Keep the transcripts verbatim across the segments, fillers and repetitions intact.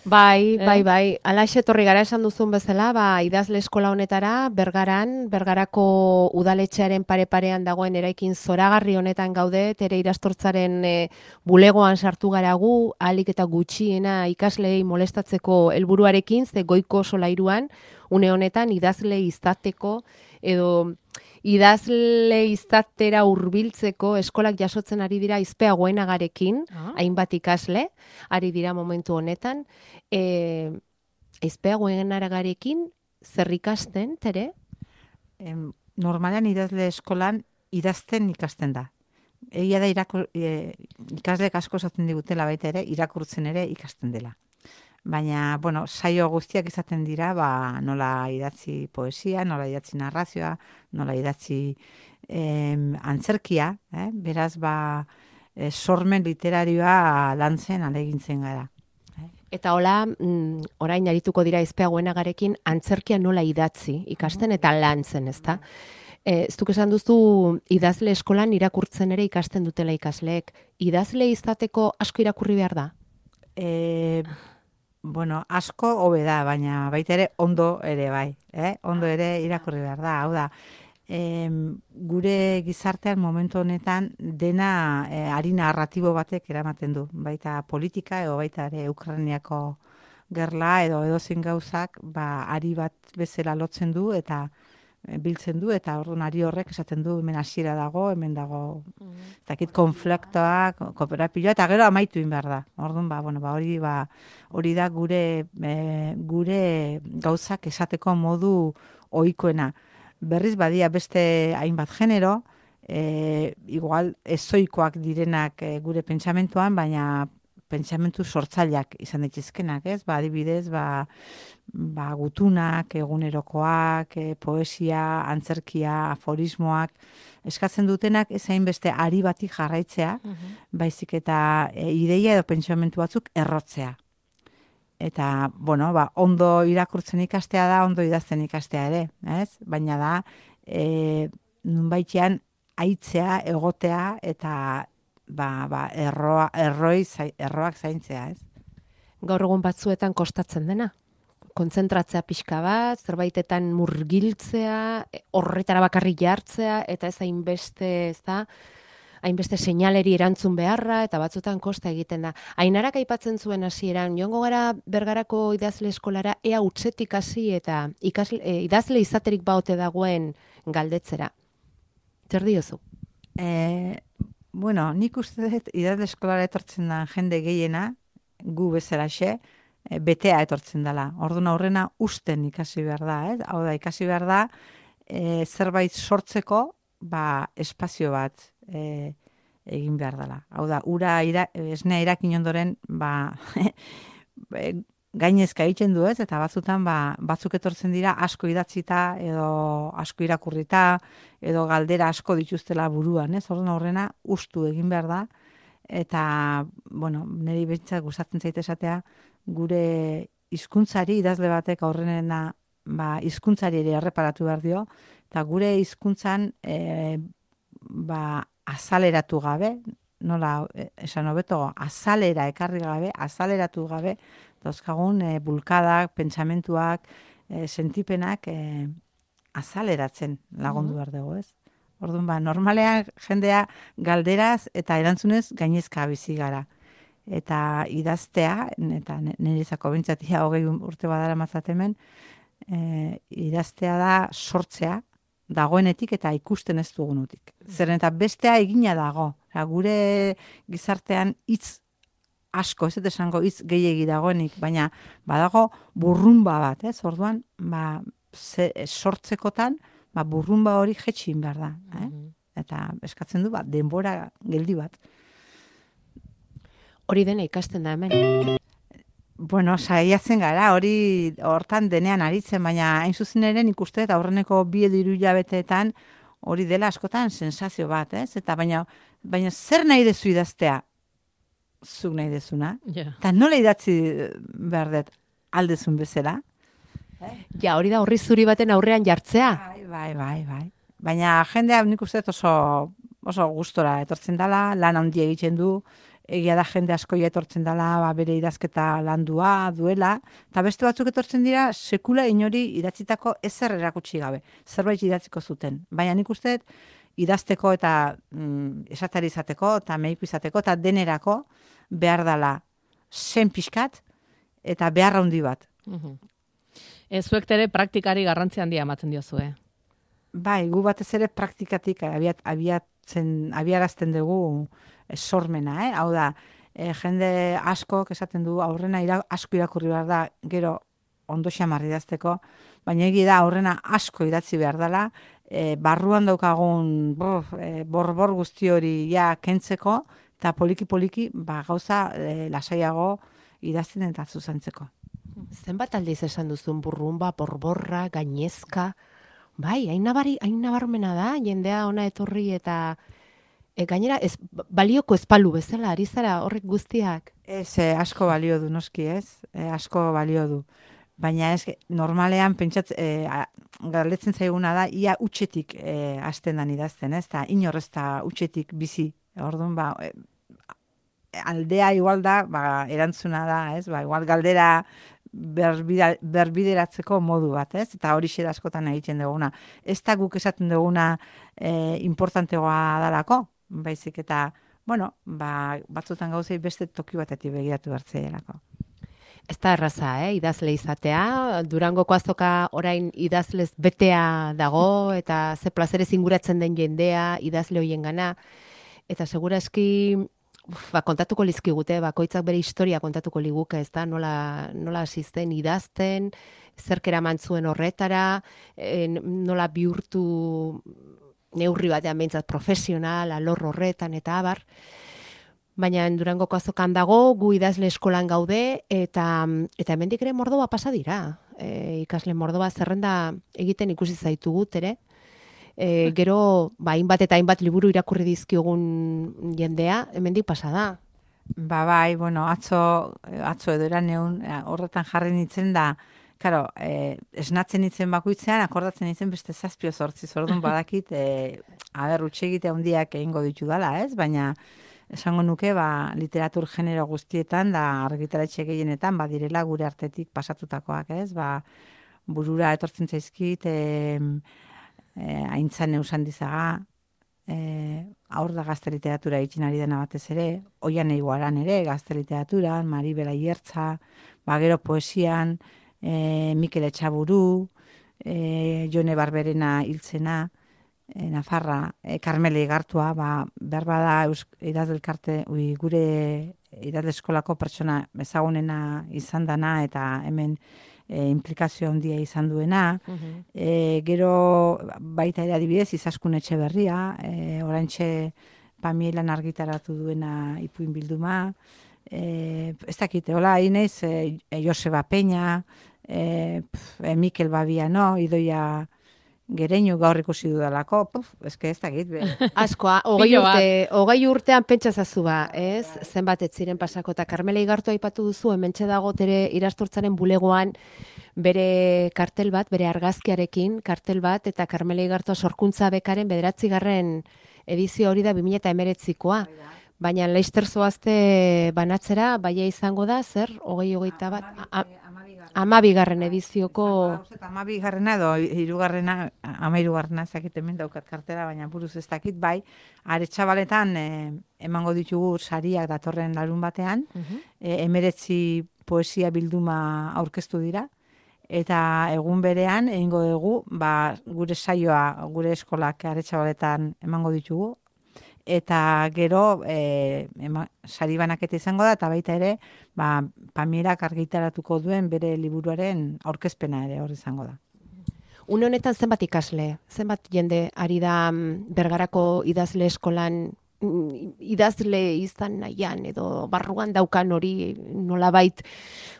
Bai, Eh? bai, bai. Alaxe etorri gara esan duzun bezala, ba, idazle eskola honetara, Bergaran, Bergarako udaletxearen pare-parean dagoen eraikin zoragarri honetan gaude, ere irastortzaren e, bulegoan sartu gara gu, ahalik eta gutxiena ikasleei molestatzeko helburuarekin, ze goiko solairuan, une honetan idazle izateko edo idazle izatera hurbiltzeko eskolak jasotzen ari dira izpea goenagarekin, Ah. hainbat ikasle, ari dira momentu honetan, e, izpea goenagarekin zer ikasten, tere? Em, normalean idazle eskolan idazten ikasten da. Egia da irakur, e, ikasleek asko esaten digutela baita ere, irakurtzen ere ikasten dela. Baina, bueno, saio guztiak izaten dira, ba, nola idatzi poesia, nola idatzi narrazioa, nola idatzi em, antzerkia, eh? Beraz, ba, e, sormen literarioa lantzen alegintzen gara. Eta hola, mm, orain arituko dira izpea goenagarekin antzerkia nola idatzi ikasten eta lantzen, ezta? E, ez duk esan duzu idazle eskolan irakurtzen ere ikasten dutela ikasleek. Idazle izateko asko irakurri behar da? E, bueno, asko hobe da, baina baita ere ondo ere bai. Eh? Ondo ere irakurri behar da. Hau da, em, gure gizartean momentu honetan dena e, ari narratibo batek eramaten du. Baita politika edo baita ere Ukrainiako gerla edo edozein gauzak ba, ari bat bezala lotzen du eta e, biltzen du eta orduan ari horrek esaten du hemen hasiera dago, hemen dago ez dakit konfliktoak, kooperazioa eta gero amaitu egin behar da. Orduan ba, bueno, ba, hori ba, hori da gure e, gure gauzak esateko modu ohikoena. Berriz badia beste hainbat genero, e, igual ezoikoak direnak e, gure pentsamentuan, baina pentsamentu sortzaileak izan daitezkenak, ez? Ba, adibidez, ba, ba gutunak, egunerokoak, e, poesia, antzerkia, aforismoak, eskatzen dutenak ez hainbeste ari bati jarraitzea, baizik eta e, ideia edo pentsamentu batzuk errotzea. Eta, bueno, ba, ondo irakurtzen ikastea da, ondo idazten ikastea ere, ez? Baina da, e, nunbaitean aitzea, egotea, eta ba, ba, erroa, erroi, zai, erroak zaintzea, ez? Gaur egun batzuetan kostatzen dena? Kontzentratzea pixka bat, zerbaitetan murgiltzea, horretara bakarrik jartzea, eta ez hainbeste, ez da, hainbeste seinaleri erantzun beharra, eta batzutan kosta egiten da. Ainarak aipatzen zuen hasieran, joango gara Bergarako idazle eskolara, ea utzetik hasi eta ikasle, e, idazle izaterik baote dagoen galdetzera. Zer diozu? E, bueno, nik uste dut idazle eskolara etortzen da jende gehiena, gu bezalaxe, e, betea etortzen dela. Orduan aurrena usten ikasi behar da, ez? Hau da, ikasi behar da, e, zerbait sortzeko, ba, espazio bat, E, egin behar dela. Hau da, ura ira, esnea irakin ondoren ba, gainezka egiten du ez, eta batzutan ba, batzuk etortzen dira asko idatzita edo asko irakurrita edo galdera asko dituztela buruan, ez? Orduan aurrena ustu egin behar da, eta bueno, niri behintzat gustatzen zait esatea gure hizkuntzari idazle batek aurrenena ba, hizkuntzari ere erreparatu behar dio, eta gure hizkuntzan e, ba, azaleratu gabe, nola esan hobeto, azalera ekarri gabe, azaleratu gabe, dauzkagun e, bulkadak, pentsamentuak, e, sentipenak e, azaleratzen lagundu behar dugu, ez? Orduan ba, normalean jendea galderaz eta erantzunez gainezka bizi gara. Eta idaztea, eta niretzako bintzatia hogei urte badara mazatemen, e, idaztea da sortzea, dagoenetik eta ikusten ez dugunutik. Zeren eta bestea egina dago. Eta gure gizartean hitz asko, ez dut esango hitz gehiegi dagoenik, baina badago burrumba bat, ez? Orduan, ba, ze, sortzekotan, ba, burrumba hori jetxin behar da. Eh? Eta eskatzen du, ba, denbora geldi bat. Hori dena ikasten da hemen. Bueno, saiatzen gara, hori hortan denean aritzen, baina hain zuzen ere nik uste eta aurreneko bi edo hiru hilabeteetan hori dela askotan sensazio bat, ez? Eta baina, baina zer nahi dezu idaztea? Zuk nahi dezuna? Yeah. Eta nola idatzi behar dut aldezun bezala? Ja, hori da horri zuri baten aurrean jartzea. Bai, bai, bai, bai. Baina jendea nik uste oso, oso gustora etortzen dela, lan handia egiten du, egia da jende asko ja etortzen dela, ba, bere idazketa landua duela, eta beste batzuk etortzen dira sekula inori idatzitako ezer erakutsi gabe, zerbait idatziko zuten. Baina nik uste idazteko eta mm, esatari izateko, eta mediku izateko, eta denerako behar dela zen pixkat, eta behar handi bat. Mhm. Ez zuek ere praktikari garrantzi handia ematen diozue. Bai, gu batez ere praktikatik abiat, abiatzen, abiarazten dugu sormena, eh? Hau da, e, jende asko esaten du aurrena ira, asko irakurri behar da, gero ondo xamar idazteko, baina egi da aurrena asko idatzi behar dela, e, barruan daukagun bor, e, borbor guzti hori ja kentzeko, eta poliki-poliki ba, gauza e, lasaiago idazten eta zuzentzeko. Zenbat aldiz esan duzun burrumba, borborra, gainezka, bai, hain nabari, hain nabarmena da, jendea ona etorri eta e, gainera ez, balioko ezpalu bezala, ari zara horrek guztiak. Ez, e, asko balio du, noski ez, e, asko balio du. Baina ez, normalean pentsatz, e, galdetzen zaiguna da, ia utxetik e, hasten dan idazten, ez, eta inorrez da utxetik bizi, orduan, ba, e, aldea igual da, ba, erantzuna da, ez, ba, igual galdera berbida, berbideratzeko modu bat, ez, eta hori xeda askotan egiten duguna. Ez da guk esaten duguna e, importantegoa dalako, baizik eta, bueno, ba, batzutan gauzei beste toki batetik begiratu hartzeielako. Ez da erraza, eh? Idazle izatea, Durangoko azoka orain idazlez betea dago, eta ze plazerez inguratzen den jendea, idazle hoien gana, eta segurazki ba, kontatuko lizkigute, bakoitzak bere historia kontatuko liguke, ez da, nola, nola asisten idazten, zerkera mantzuen horretara, e, nola bihurtu neurri batean behintzat profesional, alor horretan, eta abar. Baina Durangoko azokan dago, gu idazle eskolan gaude, eta, eta hemendik ere Mordoba pasa dira. E, ikasle Mordoba zerrenda egiten ikusi zaitugut ere. E, gero, ba, hainbat eta hainbat liburu irakurri dizkiogun jendea, hemendik pasa da. Ba, bai, bueno, atzo, atzo edo eraneun, horretan jarri nintzen da, karo, eh, esnatzen nintzen bakoitzean, akordatzen nintzen beste zazpio zortzi, zordun badakit, eh, aber, utxegite handiak egingo ditu dala, ez? Baina, esango nuke, ba, literatur genero guztietan, da argitaletxe gehienetan, ba, direla gure artetik pasatutakoak, ez? Ba, burura etortzen zaizkit, eh, eh, aintzan eusan dizaga, eh, aur da gazte literatura egiten ari dena batez ere, oian eiguaran ere, gazte literaturan, Maribela Iertza, ba, gero poesian, eh, Mikel Etxaburu, eh, Jone Barberena hiltzena, E, Nafarra, e, Karmele Igartua, ba, behar bada idazdelkarte, ui, gure idazle eskolako pertsona ezagunena izan dana eta hemen e, implikazio handia izan duena. Uh-huh. e, gero baita ere adibidez Izaskun Etxeberria, e, oraintxe Pamielan argitaratu duena ipuin bilduma, e, ez dakite, hola, inez, e, Joseba Peña, e, pf, e, Mikel Babiano, Idoia Gereñu gaur ikusi dudalako, puf, eske ez dakit. Askoa, hogei urte, hogei urtean pentsa zazu ba, ez? Zenbat ez ziren pasako, eta Karmela Igartua aipatu duzu, hementxe dago tere irastortzaren bulegoan bere kartel bat, bere argazkiarekin kartel bat, eta Karmela Igartua sorkuntza bekaren bederatzigarren edizio hori da bi mila hemeretzikoa. Baina Leister zoazte banatzera, baia izango da, zer, hogei hogeita bat... Amabigarren edizioko... Amabigarrena edo hirugarrena, amairugarrena ezakit hemen daukat kartela, baina buruz ez dakit, bai, Aretxabaletan eh, emango ditugu sariak datorren larun batean, uh-huh. eh, emeretzi poesia bilduma aurkeztu dira, eta egun berean egingo dugu, ba, gure saioa, gure eskolak Aretxabaletan emango ditugu, eta gero e, ema, sari banaketa izango da, eta baita ere, ba, Pamierak argitaratuko duen bere liburuaren aurkezpena ere hor izango da. Une honetan zenbat ikasle, zenbat jende ari da Bergarako idazle eskolan idazle izan nahian, edo barruan daukan hori nolabait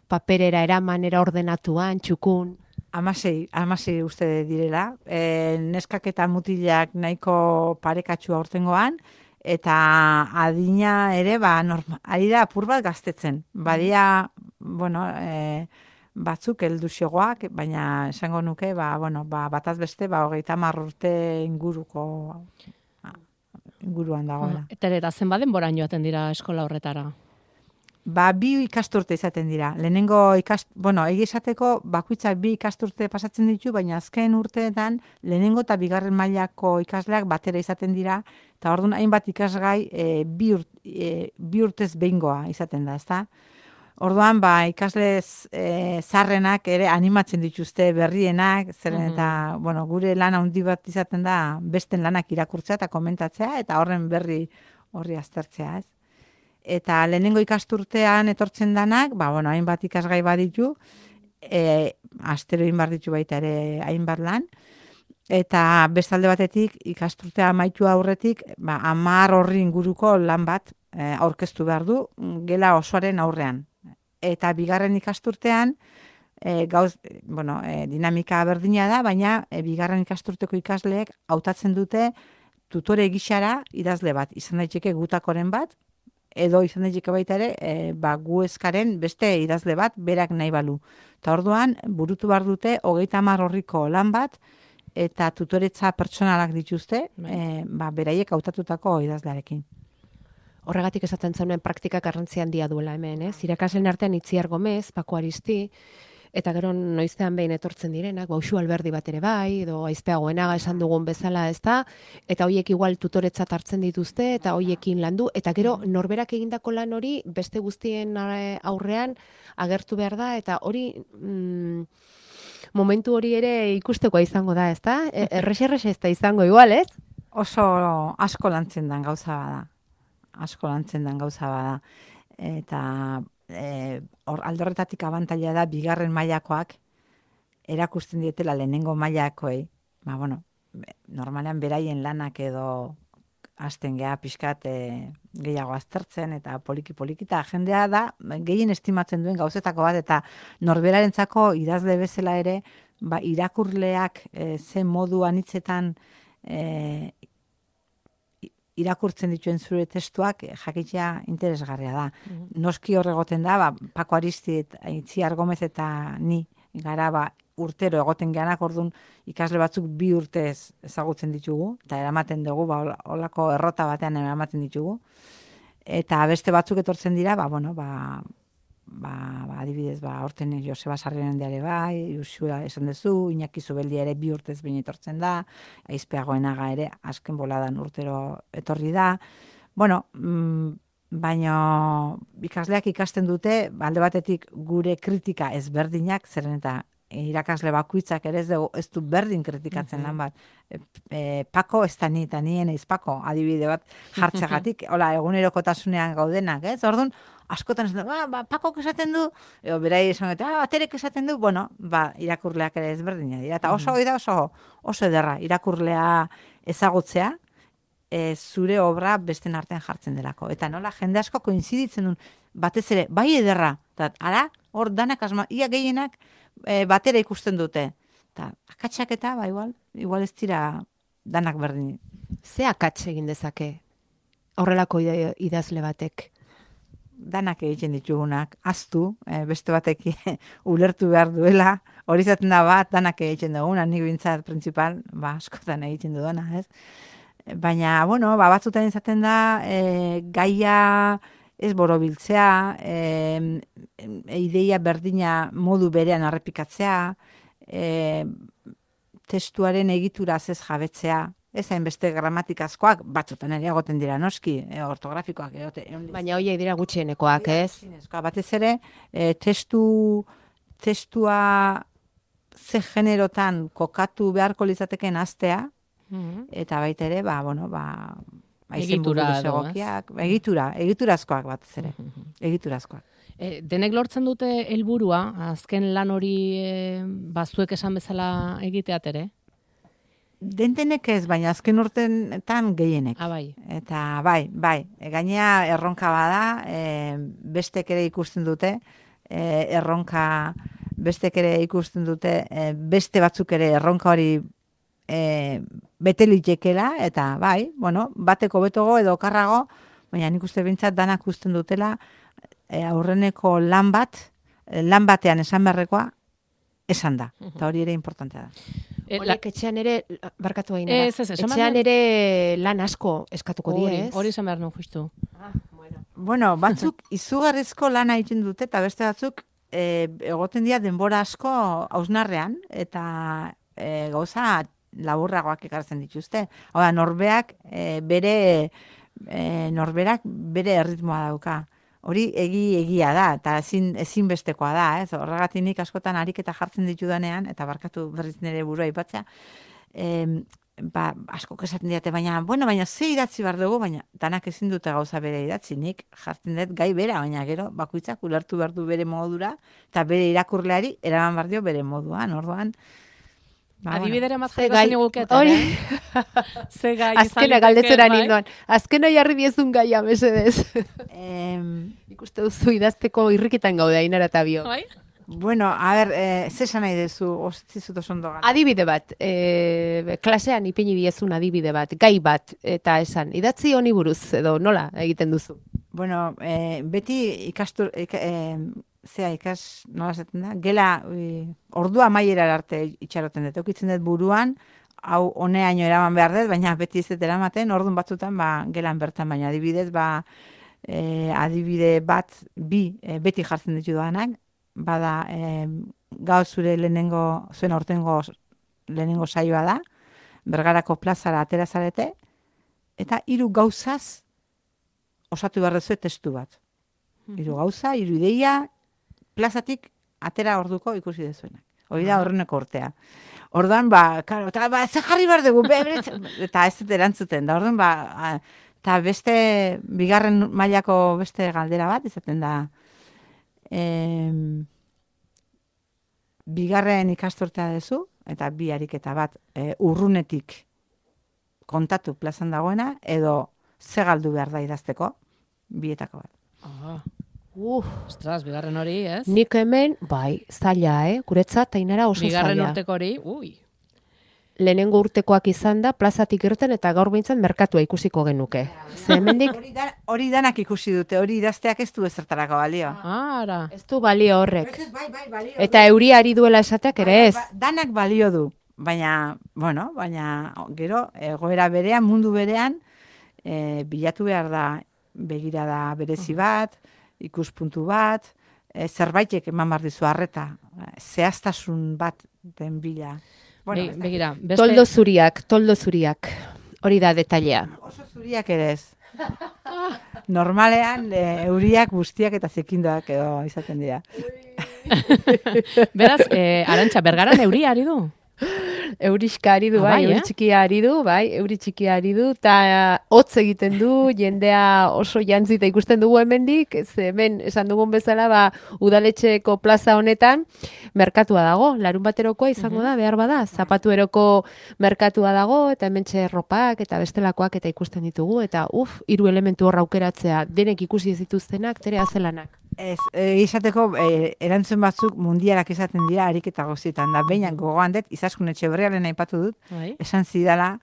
paperera eramanera ordenatuan, txukun? Amasei, amasei uste direla. E, neskak eta mutilak nahiko parekatxua ortengoan, eta adina ere, ba, norma, ari da apur bat gaztetzen. Badia, bueno, e, batzuk helduxegoak, baina esango nuke, ba, bueno, ba, bataz beste, ba, hogeita hamar urte inguruko inguruan dagoela. Eta ere, eta zenbat denbora joaten dira eskola horretara? Ba, bi ikasturte izaten dira. Lehenengo ikast, bueno, egi esateko bakoitza bi ikasturte pasatzen ditu, baina azken urteetan lehenengo eta bigarren mailako ikasleak batera izaten dira, eta orduan hainbat ikasgai e, bi, urt, e, bi urtez behingoa izaten da, ezta? Orduan, ba, ikasle e, zarrenak ere animatzen dituzte berrienak, zeren eta, bueno, gure lan handi bat izaten da besten lanak irakurtzea eta komentatzea, eta horren berri horri aztertzea, ez? Eta lehenengo ikasturtean etortzen danak, ba, bueno, hainbat ikasgai baditu, e, astero egin behar ditu baita ere hainbat lan, eta bestalde batetik ikasturtea amaitu aurretik, ba, hamar horri inguruko lan bat e, aurkeztu behar du gela osoaren aurrean. Eta bigarren ikasturtean, e, gauz, bueno, e, dinamika berdina da, baina e, bigarren ikasturteko ikasleek hautatzen dute tutore gixara idazle bat, izan daiteke gutakoren bat, edo izan daiteke baita ere, e, ba, gu eskaren beste idazle bat berak nahi balu. Eta orduan, burutu behar dute, hogeita hamar horriko lan bat, eta tutoretza pertsonalak dituzte, e, ba, beraiek hautatutako idazlearekin. Horregatik esaten zenuen praktikak garrantzi handia duela hemen, ez? Irakasleen artean Itziar Gomez, Paco Aristi, eta gero noizean behin etortzen direnak, Bauxu Alberdi bat ere bai, edo Aizpea Goenaga esan dugun bezala, ez da, eta hoiek igual tutoretzat hartzen dituzte, eta hoiekin landu, eta gero norberak egindako lan hori beste guztien aurrean agertu behar da, eta hori mm, momentu hori ere ikustekoa izango da, ez da? Errexe-errexe ez da izango igual, ez? Oso asko lantzen den gauza bada. Asko lantzen den gauza bada. Eta e, or, aldorretatik abantaila da bigarren mailakoak erakusten dietela lehenengo mailakoei. Ba, bueno, normalean beraien lanak edo hasten geha pixkat e, gehiago aztertzen eta poliki-poliki eta jendea da gehien estimatzen duen gauzetako bat eta norberarentzako idazle bezala ere ba, irakurleak e, zen modu anitzetan e, irakurtzen dituen zure testuak jakitea interesgarria da. Mm-hmm. Noski horregoten da, ba, Paco Aristi, Itziar Gomez eta ni gara ba, urtero egoten geanak, orduan ikasle batzuk bi urtez ezagutzen ditugu, eta eramaten dugu, ba, olako errota batean eramaten ditugu. Eta beste batzuk etortzen dira, ba, bueno, ba, ba, ba adibidez, ba, horten Joseba Sarrionen ere bai, Iusua esan duzu, Iñaki Zubeldi ere bi urtez behin etortzen da, Aizpea Goenaga ere azken boladan urtero etorri da. Bueno, mm, baina ikasleak ikasten dute, alde batetik gure kritika ezberdinak, zeren eta irakasle bakoitzak ere ez, dugu, ez du berdin kritikatzen mm-hmm. lan bat. E, e, Pako ez da ni, eta nien eiz Pako, adibide bat jartzegatik, hola, egunerokotasunean gaudenak, ez? Orduan, askotan esaten du, ba, Pakok esaten du, edo berai esan dute, ah, baterek esaten du, bueno, ba, irakurleak ere ezberdina dira, eta oso, mm-hmm. oso, oso ederra, irakurlea ezagutzea, e, zure obra besten artean jartzen delako. Eta nola, jende asko koinziditzen duen, batez ere, bai ederra, eta ara, hor danak asma, ia gehienak e, batera ikusten dute. Eta akatsak eta, ba, igual, igual ez dira danak berdin. Ze akats egin dezake horrelako idazle batek? Danak egiten ditugunak, aztu, e, beste batek ulertu behar duela, hori zaten da bat, danak egiten duguna, nik bintzat principal, ba, askotan egiten dudana, ez? Baina, bueno, ba, batzutan izaten da, e, gaia ez borobiltzea, e, ideia berdina modu berean arrepikatzea, e, testuaren egitura ez jabetzea, ez hainbeste gramatikazkoak, batzutan ere egoten dira noski, e, ortografikoak. Egote, baina hoiek dira gutxienekoak, ez? Batez ere, e, testu, testua ze generotan kokatu beharko litzateken astea, mm-hmm. eta baita ere, ba, bueno, ba, egitura egokiak, egitura, egiturazkoak batez ere, egiturazkoak. E, denek lortzen dute helburua, azken lan hori e, bazuek esan bezala egiteat ere? Dentenek ez, baina azken urteetan gehienek. Ah, bai. Eta bai, bai, e, gainea erronka bada, e, bestek ere ikusten dute, e, erronka, bestek ere ikusten dute, e, beste batzuk ere erronka hori e, bete litekela, eta bai, bueno, bateko betogo edo okarrago, baina nik uste bintzat danak usten dutela, e, aurreneko lan bat, lan batean esan beharrekoa, esan da. Eta hori ere importantea da. E, la- Horiek etxean ere, barkatu gainera, Ez, ez, esan behar etxean nuen- ere lan asko eskatuko die, hori, ez? hori esan behar nuen, justu. Ah, bueno. Bueno, batzuk izugarrizko lana egiten dute, eta beste batzuk e, egoten dira denbora asko hausnarrean, eta e, gauza laburragoak ekartzen dituzte. Hau da, norbeak e, bere e, norberak bere erritmoa dauka. Hori egi egia da, eta ezin, ezinbestekoa da, ez? Horregatik nik askotan ariketa jartzen ditudanean, eta barkatu berriz nire burua aipatzea, em, ba, asko esaten diate, baina, bueno, baina ze idatzi behar dugu, baina danak ezin dute gauza bere idatzi, nik jartzen dut gai bera, baina gero bakoitzak ulertu behar du bere modura, eta bere irakurleari eraman behar dio bere moduan, orduan. Ba, Adibidera Ze matzeko gai- zen iguket, hori. Ze gai Azkena izan galdetzera liteke, bai. nindoan. Azkena jarri diezun gaia, mesedez. em, Ikuste duzu idazteko irrikitan gaude, Ainara eta Bio. Bai? bueno, a ber, e, ze esan nahi dezu, ostitzut oso ondo gara. Adibide bat, e, klasean ipini diezun adibide bat, gai bat, eta esan, idatzi honi buruz, edo nola egiten duzu? Bueno, e, beti ikastur, ika, e, zea ikas, nola esaten da, gela e, ordua amaiera arte itxaroten dut, eukitzen dut buruan, hau honeaino eraman behar dut, baina beti ez dut eramaten, ordun batzutan ba, gelan bertan, baina adibidez, ba, e, adibide bat, bi, e, beti jartzen ditu danak, bada, e, gaur zure lehenengo, zuen aurtengo lehenengo saioa da, Bergarako plazara atera zarete, eta hiru gauzaz osatu behar duzue testu bat. Hiru gauza, hiru ideia, plazatik atera orduko ikusi dezuenak. Hori da horreneko urtea. Orduan, ba, karo, eta ba, ze jarri behar dugu, be, be, eta ez dut erantzuten, da orduan, ba, eta beste, bigarren mailako beste galdera bat, izaten da, em, bigarren ikasturtea dezu, eta bi ariketa bat e, urrunetik kontatu plazan dagoena, edo ze galdu behar da idazteko, bietako bat. Ah, Uf, ostras, bigarren hori, ez? nik hemen, bai, zaila, eh? Guretzat, Ainara oso Bigarren zaila. urteko hori, ui. Lehenengo urtekoak izan da, plazatik irten eta gaur behintzen merkatua ikusiko genuke. Ze hemendik Hori, da, hori danak ikusi dute, hori idazteak ez du ezertarako balio. Ara. ez du balio horrek. Bai, bai, balio Eta euri ari duela esateak ere ez. Ba- danak balio du, baina, bueno, baina gero, egoera berean, mundu berean, e, bilatu behar da begirada berezi bat, ikuspuntu bat, e, zerbaitek eman behar dizu harreta, zehaztasun bat den bila. Be, ez dakit. begira, beste... Toldo zuriak, toldo zuriak. Hori da detailea. Oso zuriak ere ez. Normalean, e, euriak, guztiak eta zekindoak edo izaten dira. Beraz, eh, Arantxa, Bergaran euria ari du? Euriska ari du, Ah, bai, bai, euri eh? txikia ari du, bai, euri txikia ari du, eta hotz egiten du, jendea oso jantzita ikusten dugu hemendik, ez hemen esan dugun bezala, ba, udaletxeko plaza honetan, merkatua dago, larun baterokoa izango da, behar bada, zapatueroko merkatua dago, eta hementxe ropak, eta bestelakoak, eta ikusten ditugu, eta uf, hiru elementu hor aukeratzea, denek ikusi ez dituztenak, tere azelanak. Ez, e, izateko, e, erantzun batzuk mundialak izaten dira ariketa guztietan, da behinak gogoan dut, Izaskun Etxeberriaren aipatu dut, Bai. esan zidala,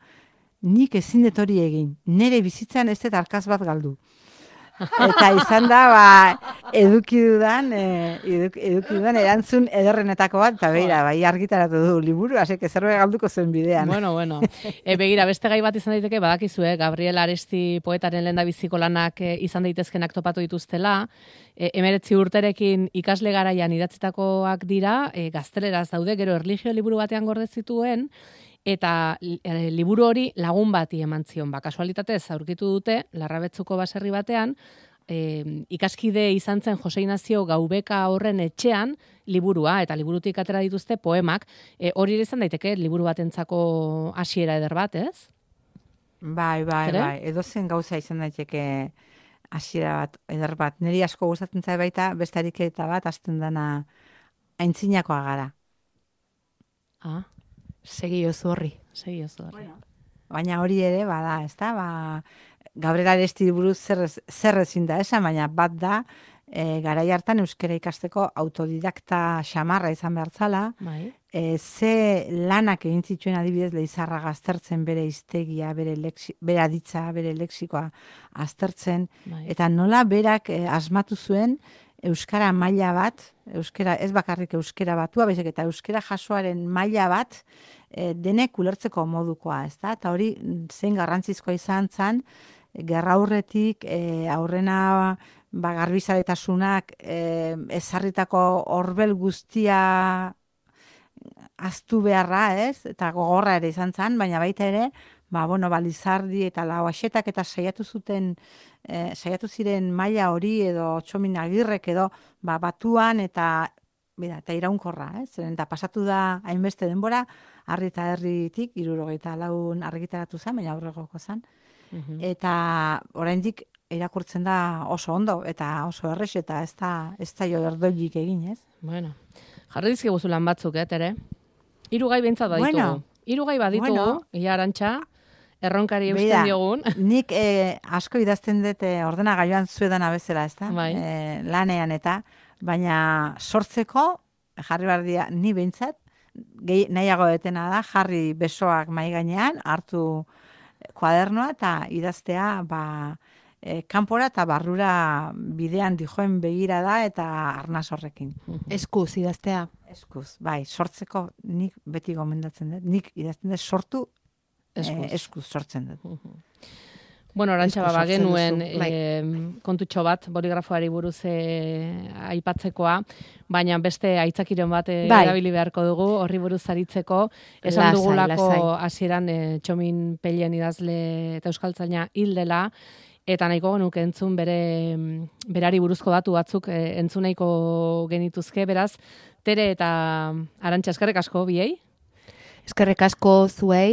nik ezin dut hori egin, nire bizitzan ez dut arkaz bat galdu. Eta izan da, ba, eduki dudan, e, eduki, eduki dudan erantzun ederrenetako bat, eta beira, bai argitaratu du liburu, hasek zerbait galduko zen bidean. Bueno, bueno. E, begira, beste gai bat izan daiteke, badakizu, eh? Gabriel Aresti poetaren lehendabiziko lanak eh, izan daitezkenak topatu dituztela. E, emeretzi urterekin ikasle garaian idatzitakoak dira, e, gazteleraz daude, gero erlijio liburu batean gorde zituen, eta e, liburu hori lagun bati eman zion. Ba, kasualitatez aurkitu dute, Larrabetzuko baserri batean, e, ikaskide izan zen Jose Inazio Gaubeka horren etxean liburua, eta liburutik atera dituzte poemak. E, hori ere izan daiteke liburu batentzako hasiera eder bat, ez? Bai, bai, Zer? bai, edozen gauza izan daiteke hasiera bat, eder bat. Niri asko gustatzen zait baita, beste ariketa bat, hasten dana aintzinakoa gara. Ah, Segi oso horri. segi oso horri. Baina hori ere, bada, ez da, ba, Gabriel Aresti buruz zer, ez- zer ezin da esan, baina bat da, e, garai hartan euskara ikasteko autodidakta xamarra izan behar zala, Bai. e, ze lanak egin zituen adibidez Leizarra aztertzen bere hiztegia, bere, lexi, bere aditza, bere lexikoa aztertzen, Bai. eta nola berak e, asmatu zuen euskara maila bat, euskara ez bakarrik euskara batua, baizik eta euskara jasoaren maila bat e, denek ulertzeko modukoa, ez da? Eta hori zein garrantzizkoa izan zen, gerraurretik e, aurrena ba, garbizaletasunak e, ezarritako horbel guztia aztu beharra, ez? Eta gogorra ere izan zen, baina baita ere, ba, bueno, balizardi eta lauaxetak eta saiatu zuten, e, saiatu ziren maila hori edo Txomin Agirrek edo ba, batuan eta bera, eta iraunkorra, ez? Zeren eta pasatu da hainbeste denbora, harri eta herritik, hirurogeita laun argitaratu zen, baina aurregoko zen. Mhm. Eta oraindik irakurtzen da oso ondo eta oso errex eta ez da ez da jo erdoilik egin, ez? Bueno, jarri dizkiguzu lan batzuk, eh, tere? Hiru gai behintzat baditugu. Bueno, Hiru gai baditugu, bueno. ia Arantxa, erronkari eusten Begira, diogun. Nik eh, asko idazten dut eh, ordenagailuan zuedana bezala, ez da? Bai. Eh, lanean eta, baina sortzeko, jarri behar dira, ni behintzat, gehi, nahiago detena da, jarri besoak mai gainean, hartu kuadernoa eta idaztea, ba, e, kanpora eta barrura bidean dijoen begira da eta arnaz horrekin. Eskuz idaztea. Eskuz, bai, sortzeko nik beti gomendatzen dut, nik idazten dut sortu Eskuz. eh, eskuz sortzen dut. Bueno, Arantxa, Eskuz ba, sortzen genuen duzu, bai. e, kontutxo bat, boligrafoari buruz e, aipatzekoa, baina beste aitzakiren bat e, Bai. erabili beharko dugu, horri buruz aritzeko. Esan Lasai, dugulako lasai. hasieran e, Txomin Pelien idazle eta euskaltzaina hil dela, eta nahiko genuke entzun bere berari buruzko datu batzuk e, entzun nahiko genituzke, beraz, Tere eta Arantxa, eskerrik asko biei. Eskerrik asko zuei.